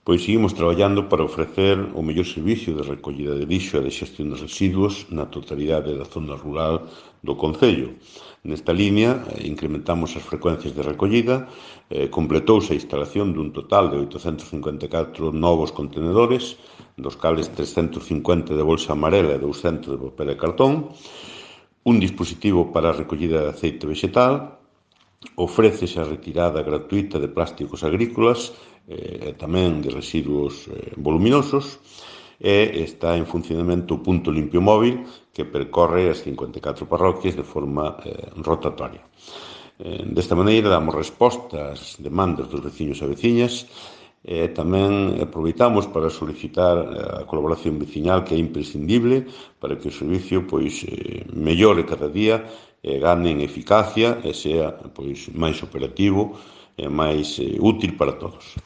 Pois seguimos traballando para ofrecer o mellor servicio de recollida de lixo e de xestión dos residuos na totalidade da zona rural do concello. Nesta línea, incrementamos as frecuencias de recollida, completouse a instalación dun total de 854 novos contenedores, dos cales 350 de bolsa amarela e 200 de papel e cartón, un dispositivo para a recollida de aceite vegetal, ofrécese a retirada gratuita de plásticos agrícolas e tamén de residuos voluminosos, e está en funcionamento o punto limpio móvil que percorre as 54 parroquias de forma rotatoria. Desta maneira damos resposta ás demandas dos veciños e veciñas e tamén aproveitamos para solicitar a colaboración veciñal que é imprescindible para que o servicio mellore cada día e gane en eficacia e sea máis operativo e máis útil para todos.